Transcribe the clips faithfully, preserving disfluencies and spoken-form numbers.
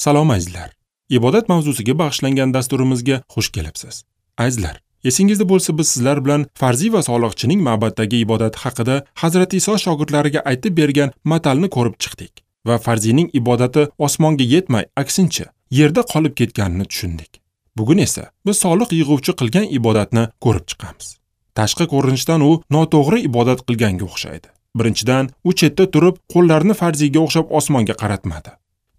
Salom azizlar. Ibodat mavzusiga bag'ishlangan dasturimizga xush kelibsiz. Azizlar, esingizda bo'lsa biz sizlar bilan farziy va soliqchining ma'baddagi ibodati haqida Hazrati Iso shogirdlariga aytib bergan matalni ko'rib chiqdik va farziyning ibodati osmonga yetmay, aksincha yerda qolib ketganini tushundik. Bugun esa biz soliq yig'uvchi qilgan ibodatni ko'rib chiqamiz. Tashqi ko'rinishdan u noto'g'ri ibodat qilganga o'xshaydi. Birinchidan, u chetda turib, qo'llarini farziyga o'xshab osmonga qaratmadi.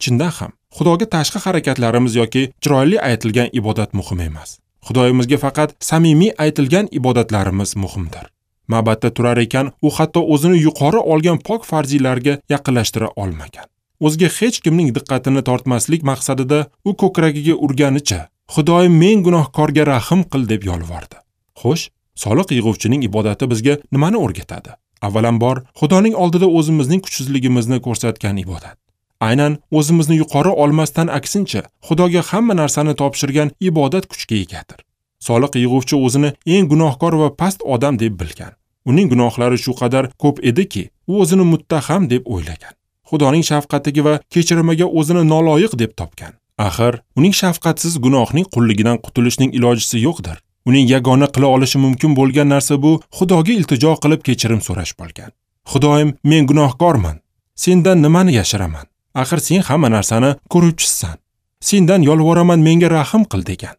Chindan ham, Xudoga tashqi harakatlarimiz yoki chiroyli aytilgan ibodat muhim emas. Xudoyimizga faqat samimiy aytilgan ibodatlarimiz muhimdir. Ma'batda turar ekan, u hatto o'zini yuqori olgan pok farziylarga yaqinlashtira olmagan. O'ziga hech kimning diqqatini tortmaslik maqsadida u ko'kragiga urganicha, Xudoyim men gunohkorga rahim qil deb yolvordi. Xo'sh, soliq yig'uvchining ibodati bizga nimani o'rgatadi? Avvalambor, Xudoning oldida o'zimizning kuchsizligimizni ko'rsatgan ibodat. Aynan o'zimizni yuqori olmasdan aksincha, Xudoga hamma narsani topshirgan ibodat kuchga egadir. Soliq yig'uvchi o'zini eng gunohkor va past odam deb bilgan. Uning gunohlari shu qadar ko'p ediki, u o'zini muttaham deb o'ylagan. Xudoning shafqatiga va kechirimiga o'zini noloyiq deb topgan. Axir, uning shafqatsiz gunohning qulligidan qutulishning ilojisi yo'qdir. Uning yagona qila olishi mumkin bo'lgan narsa bu Xudoga iltijo qilib kechirim so'rash bo'lgan. Xudoyim, men gunohkorman. Sendan nimani yashiraman? Axir sen hamma narsani ko'ruvchisan. Sendan yolvoraman, menga rahim qil degan.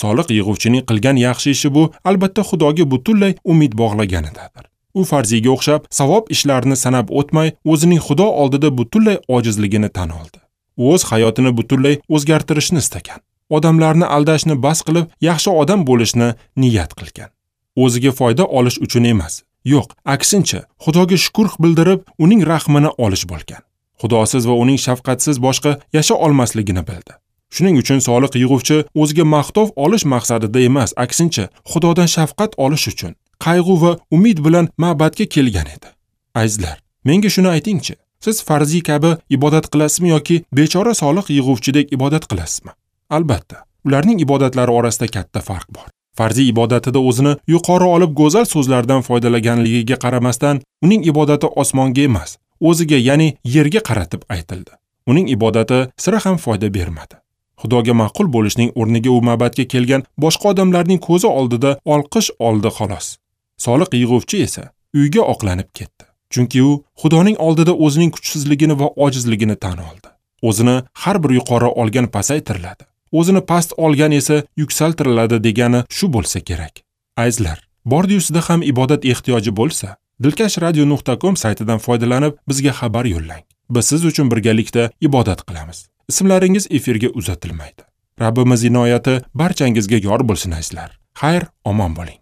Soliq yig'uvchining qilgan yaxshi ishi bu albatta Xudoga butunlay umid bog'laganidadir. U farziyga o'xshab savob ishlarini sanab o'tmay, o'zining Xudo oldida butunlay ojizligini tan oldi. U o'z hayotini butunlay o'zgartirishni istagan. Odamlarni aldashni bas qilib, yaxshi odam bo'lishni niyat qilgan. O'ziga foyda olish uchun emas, yo'q, aksincha Xudoga shukr bildirib, uning rahmini olish bo'lgan. Xudosiz va uning shafqatsiz boshqa yasha olmasligini bildi. Shuning uchun soliq yig'uvchi o'ziga maqtov olish maqsadida emas, aksincha Xudodan shafqat olish uchun qayg'u va umid bilan ma'batga kelgan edi. Azizlar, menga shuni aytingchi, siz farziy kabi ibodat qilasizmi yoki bechora soliq yig'uvchidek ibodat qilasizmi? Albatta, ularning ibodatlari orasida katta farq bor. Farziy ibodatida o'zini yuqori olib go'zal so'zlardan foydalanganligiga qaramasdan, uning ibodati osmonga emas, o'ziga, ya'ni yerga qaratib aytildi. Uning ibodati sira ham foyda bermadi. Xudoga ma'qul bo'lishning o'rniga u ma'batga kelgan boshqa odamlarning ko'zi oldida olqish oldi xolos. Soliq yig'uvchi esa uyga oqlanib ketdi. Chunki u Xudoning oldida o'zining kuchsizligini va ojizligini tan oldi. O'zini har bir yuqori olgan pasaytiriladi. O'zini past olgan esa yuksaltiriladi degani shu bo'lsa kerak. Azizlar, bordi-yusida ham ibodat ehtiyoji bo'lsa, dilkash radio nuqta com saytidan foydalanib bizga xabar yo'llang. Biz siz uchun birgalikda ibodat qilamiz. Ismlaringiz efirga uzatilmaydi. Rabbimiz inoyati barchangizga yor bo'lsin azizlar. Xayr, omon bo'ling.